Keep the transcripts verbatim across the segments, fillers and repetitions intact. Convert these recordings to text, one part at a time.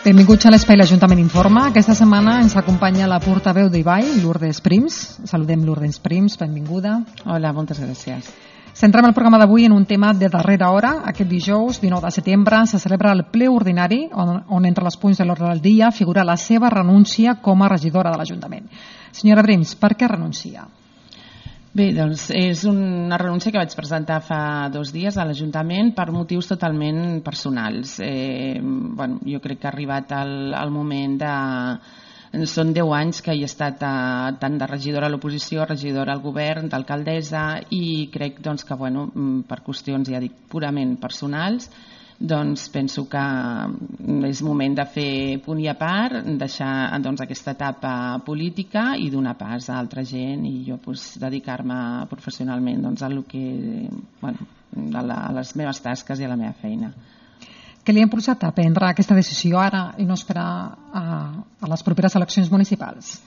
Benvinguts a l'Espai l'Ajuntament Informa. Aquesta setmana ens acompanya la portaveu d'Ibai, Lourdes Prims. Saludem Lourdes Prims, benvinguda. Hola, moltes gràcies. Centrem el programa d'avui en un tema de darrera hora. Aquest dijous, dinou de setembre, se celebra el ple ordinari on, on entre els punts de l'ordre del dia figura la seva renúncia com a regidora de l'Ajuntament. Senyora Prims, per què renuncia? Bé, doncs és una renúncia que vaig presentar fa dos dies a l'Ajuntament per motius totalment personals. Eh, bueno, jo crec que ha arribat el, el moment de... Són deu anys que he estat eh, tant de regidora a l'oposició, regidora al govern, d'alcaldessa, i crec doncs, que bueno, per qüestions, ja dic, purament personals, doncs penso que és moment de fer punt i a part, deixar doncs, aquesta etapa política i donar pas a altra gent i jo pues, dedicar-me professionalment doncs, a, lo que, bueno, a, la, a les meves tasques i a la meva feina. Què li ha impulsat a prendre aquesta decisió ara i no esperar a, a les properes eleccions municipals?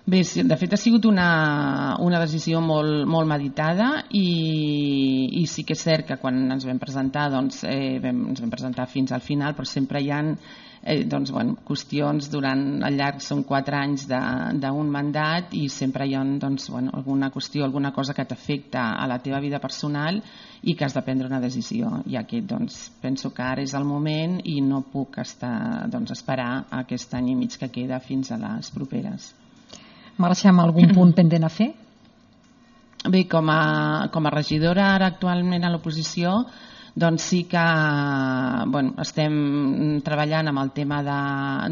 Bé, de fet ha sigut una, una decisió molt, molt meditada i, i sí que és cert que quan ens vam presentar doncs, eh, vam, ens vam presentar fins al final, però sempre hi ha eh, doncs, bueno, qüestions durant el llarg, són quatre anys d'un mandat i sempre hi ha doncs, bueno, alguna qüestió, alguna cosa que t'afecta a la teva vida personal i que has de prendre una decisió. I aquest doncs, penso que ara és el moment i no puc estar, doncs, esperar aquest any i mig que queda fins a les properes. Marxa amb algun punt pendent a fer? Bé, com a, com a regidora ara actualment a l'oposició, doncs sí que bueno, estem treballant amb el tema de,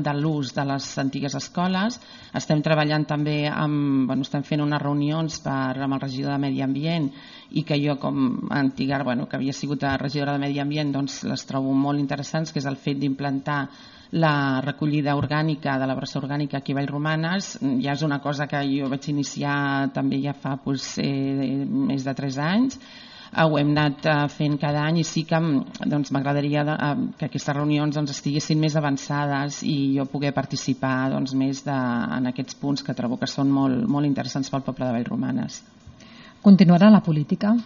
de l'ús de les antigues escoles, estem treballant també amb, bueno, estem fent unes reunions per, amb el regidor de Medi Ambient i que jo com a antiga, bueno, que havia sigut regidora de Medi Ambient, doncs les trobo molt interessants, que és el fet d'implantar la recollida orgànica de la brossa orgànica aquí a Vallromanes. Ja és una cosa que jo vaig iniciar també ja fa doncs, eh, més de tres anys. Ho hem anat fent cada any i sí que doncs, m'agradaria que aquestes reunions doncs, estiguessin més avançades i jo poder participar doncs, més de, en aquests punts que trobo que són molt, molt interessants pel poble de Vallromanes. Continuarà la política?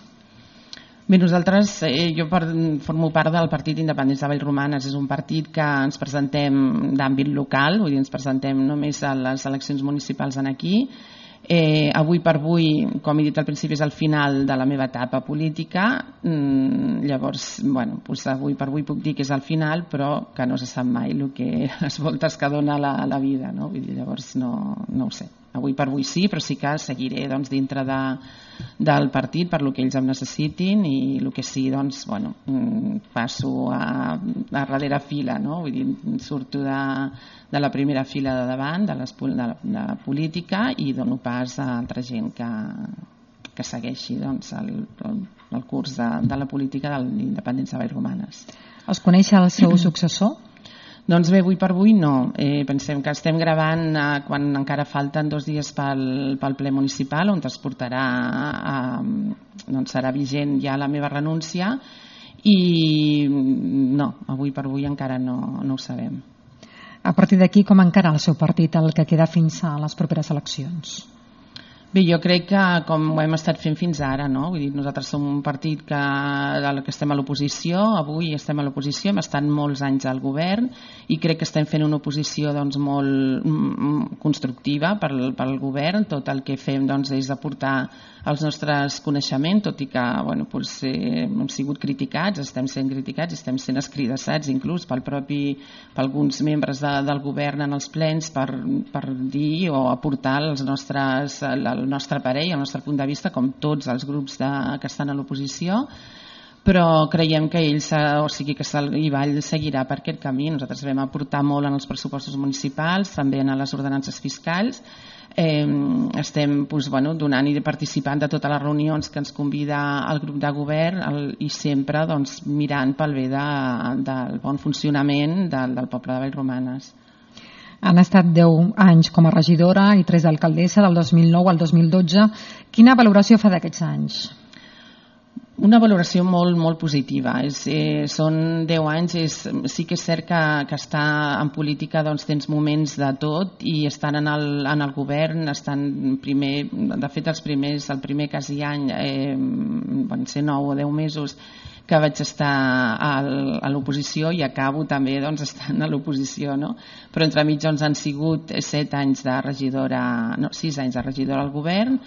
Bé, nosaltres, eh, jo per, formo part del Partit Independents de Vallromanes, és un partit que ens presentem d'àmbit local, vull dir, ens presentem només a les eleccions municipals en aquí. Eh, avui per avui, com he dit al principi, és el final de la meva etapa política, mm, llavors, bueno, doncs avui per avui puc dir que és el final, però que no se sap mai el que, les voltes que dona la, la vida, no? Vull dir, llavors no, no ho sé. Avui per avui sí, però sí que seguiré doncs, dintre de, del partit per lo que ells em necessitin i el que sí, doncs, bueno, passo a, a darrere fila, no? Vull dir, surto de, de la primera fila de davant, de, les, de, la, de la política i dono pas a altra gent que, que segueixi doncs, el, el curs de, de la política de l'Independents de Vallromanes. Es coneix el seu successor? Doncs bé, avui per avui no. Eh, pensem que estem gravant eh, quan encara falten dos dies pel, pel ple municipal on es portarà, eh, doncs serà vigent ja la meva renúncia i no, avui per avui encara no, no ho sabem. A partir d'aquí, com encara el seu partit el que queda fins a les properes eleccions? Bé, jo crec que com ho hem estat fent fins ara, no? Vull dir, nosaltres som un partit que, que estem a l'oposició, avui estem a l'oposició, hem estat molts anys al govern i crec que estem fent una oposició doncs, molt constructiva pel, pel govern. Tot el que fem doncs, és aportar els nostres coneixements, tot i que bueno, doncs, eh, hem sigut criticats, estem sent criticats, estem sent escridassats inclús pel propi, per alguns membres de, del govern en els plens per, per dir o aportar els nostres, el nostre parell, el nostre punt de vista, com tots els grups de, que estan a l'oposició, però creiem que ell, o sigui que Ibai seguirà per aquest camí. Nosaltres vam aportar molt en els pressupostos municipals, també en les ordenances fiscals. Eh, estem doncs, bueno, donant i participant de totes les reunions que ens convida el grup de govern el, i sempre doncs, mirant pel bé de, del bon funcionament del, del poble de Vallromanes. Han estat deu anys com a regidora i tres d'alcaldessa del dos mil nou al dos mil dotze. Quina valoració fa d'aquests anys? Una valoració molt, molt positiva. És, eh, són deu anys, és, sí que és cert que, que estar en política doncs, tens moments de tot i estan en el, en el govern, estan primer, de fet els primers, el primer quasi any, eh, van ser nou o deu mesos, que vaig estar a l'oposició i acabo també doncs, estant a l'oposició, no? Però entremig doncs, han sigut set anys de regidora, no, sis anys de regidora al govern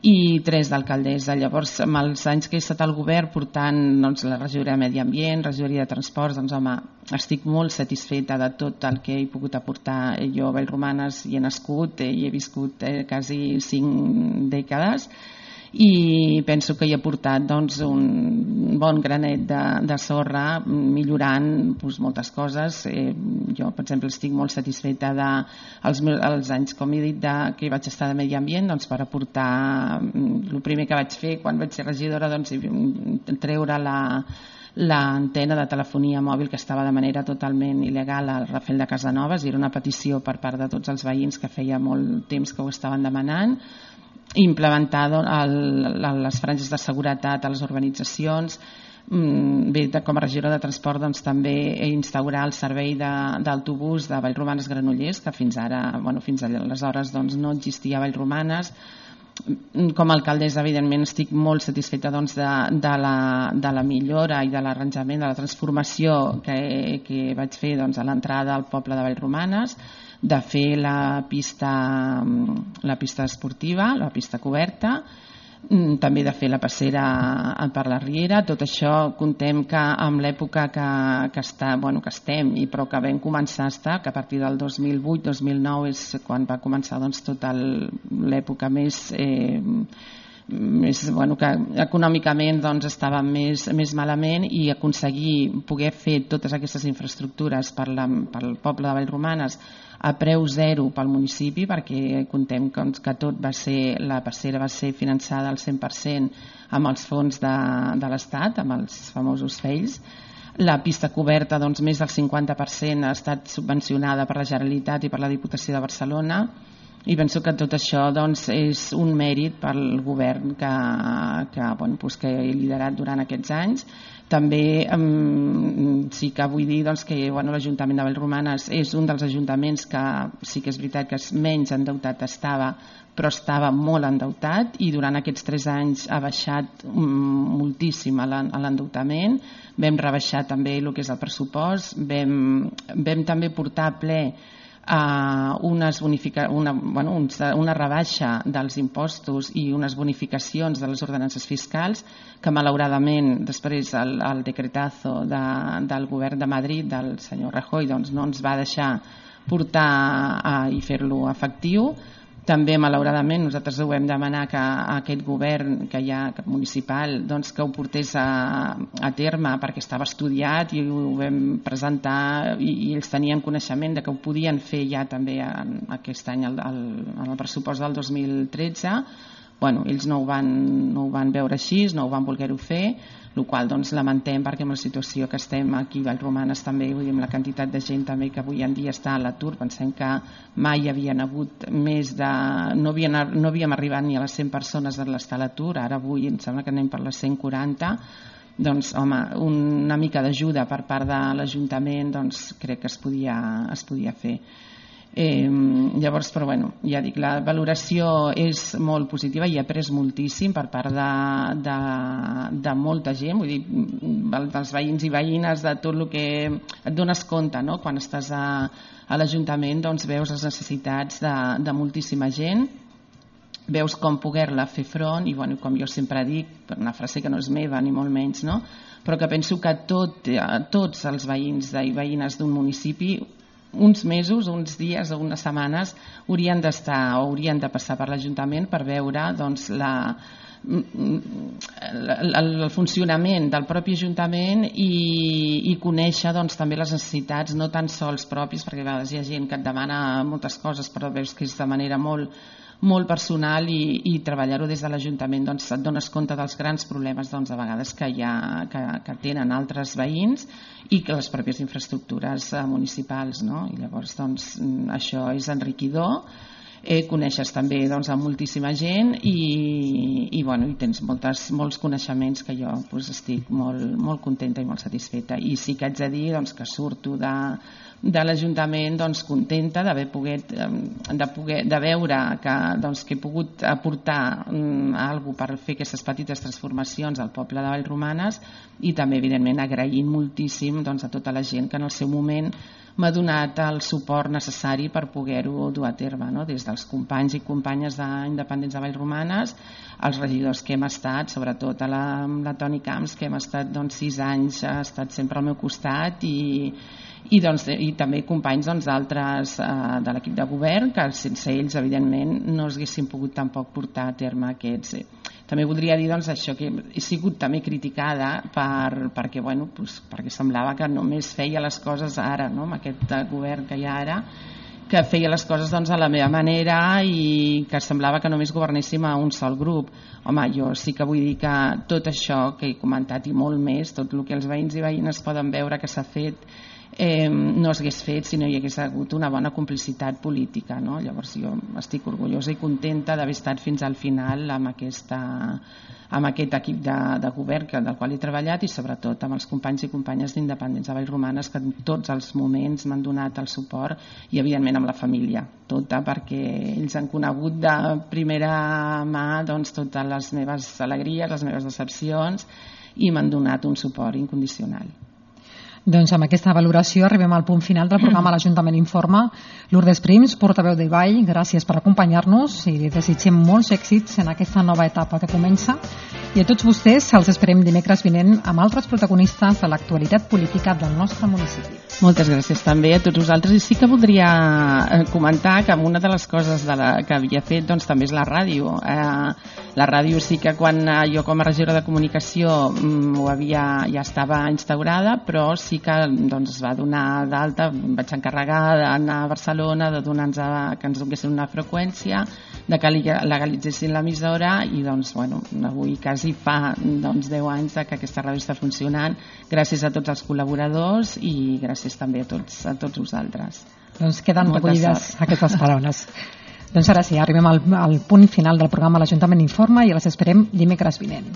i tres d'alcaldessa. Llavors, amb els anys que he estat al govern portant doncs, la regidoria de Medi Ambient, regidoria de Transports, doncs home, estic molt satisfeta de tot el que he pogut aportar. Jo a Vallromanes hi he nascut i he viscut eh, quasi cinc dècades i penso que hi ha portat doncs, un bon granet de, de sorra millorant doncs, moltes coses. Eh, jo, per exemple, estic molt satisfeta de els, els anys, com he dit, de, que vaig estar de Medi Ambient doncs, per aportar el primer que vaig fer quan vaig ser regidora, doncs, treure la l'antena de telefonia mòbil que estava de manera totalment il·legal al Rafel de Casanovas, i era una petició per part de tots els veïns que feia molt temps que ho estaven demanant. Implementar el, les franges de seguretat a les urbanitzacions. Bé, com a regidora de transport doncs, també instaurar el servei d'autobús de, de Vallromanes Granollers, que fins ara, bueno, fins aleshores doncs, no existia a Vallromanes. Com a alcaldessa, evidentment, estic molt satisfeta doncs, de, de, la, de la millora i de l'arranjament, de la transformació que, que vaig fer doncs, a l'entrada al poble de Vallromanes, de fer la pista, la pista esportiva, la pista coberta, també de fer la passera per la Riera. Tot això contem que amb l'època que, que, està, bueno, que estem, i però que vam començar a estar, que a partir del dos mil vuit dos mil nou és quan va començar doncs, tota l'època més... Eh, més, bueno, que econòmicament doncs, estava més, més malament, i aconseguir poder fer totes aquestes infraestructures per la, pel poble de Vallromanes a preu zero pel municipi, perquè contem que, que tot va ser, la passera va ser finançada al cent per cent amb els fons de, de l'Estat, amb els famosos F E I Ls. La pista coberta, doncs, més del cinquanta per cent ha estat subvencionada per la Generalitat i per la Diputació de Barcelona, i penso que tot això doncs, és un mèrit pel govern que, que, bueno, doncs que he liderat durant aquests anys. També um, sí que vull dir doncs, que bueno, l'Ajuntament de Vallromanes és un dels ajuntaments que sí que és veritat que menys endeutat estava, però estava molt endeutat, i durant aquests tres anys ha baixat um, moltíssim l'endeutament. Vam rebaixar també el que és el pressupost, vam, vam també portar a ple Uh, unes bonifica, una, bueno, una rebaixa dels impostos i unes bonificacions de les ordenances fiscals que malauradament després el, el decretazo de, del govern de Madrid del senyor Rajoy doncs, no ens va deixar portar uh, i fer-lo efectiu. També malauradament nosaltres ho vam demanar que aquest govern que hi ha municipal doncs, que ho portés a, a terme perquè estava estudiat, i ho vam presentar, i, i ells tenien coneixement de que ho podien fer ja també en, aquest any el, el, en el pressupost del dos mil tretze. Bueno, ells no ho, van, no ho van veure així, no ho van voler-ho fer, el qual doncs, lamentem, perquè amb la situació que estem aquí a Vallromanes també, vull dir, amb la quantitat de gent també que avui en dia està a l'atur, pensem que mai havien hagut més de... No havien, no havíem arribat ni a les cent persones a l'estar a l'atur, ara avui em sembla que anem per les cent quaranta, doncs home, una mica d'ajuda per part de l'Ajuntament doncs crec que es podia, es podia fer. Eh, llavors, però bueno, ja dic, la valoració és molt positiva i he après moltíssim per part de, de, de molta gent, vull dir, dels veïns i veïnes, de tot el que et dones compte, no? Quan estàs a, a l'Ajuntament doncs veus les necessitats de, de moltíssima gent, veus com poder-la fer front, i bueno, com jo sempre dic, una frase que no és meva ni molt menys, no? Però que penso que tot, tots els veïns i veïnes d'un municipi uns mesos, uns dies o unes setmanes haurien d'estar o haurien de passar per l'Ajuntament per veure doncs, la, el funcionament del propi Ajuntament i, i conèixer doncs, també les necessitats no tan sols pròpies, perquè a vegades hi ha gent que et demana moltes coses però veus que és de manera molt molt personal, i, i treballar-ho des de l'Ajuntament doncs et dones compte dels grans problemes doncs, a vegades que, hi ha, que, que tenen altres veïns i que les pròpies infraestructures municipals, no? I llavors doncs, això és enriquidor. Eh, coneixes també doncs, a moltíssima gent i, i, bueno, i tens moltes, molts coneixements que jo doncs, estic molt, molt contenta i molt satisfeta. I sí que haig de dir doncs, que surto de, de l'Ajuntament doncs, contenta d'haver pogut de, poder, de veure que, doncs, que he pogut aportar um, alguna per fer aquestes petites transformacions al poble de Vallromanes i també evidentment agraint moltíssim doncs, a tota la gent que en el seu moment m'ha donat el suport necessari per poder-ho dur a terme, no? Des dels companys i companyes d'Independents de Vallromanes, els regidors que hem estat, sobretot a la, la Toni Camps, que hem estat doncs, sis anys, ha estat sempre al meu costat i, i, doncs, i també companys d'altres doncs, de l'equip de govern, que sense ells, evidentment, no es haguessin pogut tampoc portar a terme aquests... També voldria dir doncs, això que he sigut també criticada per, perquè, bueno, doncs, perquè semblava que només feia les coses ara, no? Amb aquest govern que hi ha ara, que feia les coses doncs, a la meva manera i que semblava que només governéssim a un sol grup. Home, jo sí que vull dir que tot això que he comentat i molt més, tot el que els veïns i veïnes poden veure que s'ha fet, Eh, no s'hagués fet si no hi hagués hagut una bona complicitat política, no? Llavors jo estic orgullosa i contenta d'haver estat fins al final amb, aquesta, amb aquest equip de, de govern que, del qual he treballat i sobretot amb els companys i companyes d'Independents de Vallromanes que en tots els moments m'han donat el suport i evidentment amb la família tota, perquè ells han conegut de primera mà doncs, totes les meves alegries, les meves decepcions i m'han donat un suport incondicional. Doncs amb aquesta valoració arribem al punt final del programa L'Ajuntament Informa. Lourdes Prims, portaveu de Vall, gràcies per acompanyar-nos i li desitgem molts èxits en aquesta nova etapa que comença. I a tots vostès els esperem dimecres vinent amb altres protagonistes de l'actualitat política del nostre municipi. Moltes gràcies també a tots vosaltres i sí que voldria comentar que una de les coses de la, que havia fet doncs, també és la ràdio. Eh, la ràdio sí que quan jo com a regidora de comunicació mm, ho havia, ja estava instaurada, però sí que doncs, es va donar d'alta, em vaig encarregar d'anar a Barcelona, de donar-nos a, que ens donessin una freqüència, de que legalitzessin l'emissora i doncs, bueno, avui quasi fa doncs, deu anys que aquesta ràdio està funcionant gràcies a tots els col·laboradors i gràcies també a tots, a tots vosaltres. Doncs queden recollides aquestes paraules. Doncs ara sí, arribem al, al punt final del programa L'Ajuntament Informa i les esperem dimecres vinent.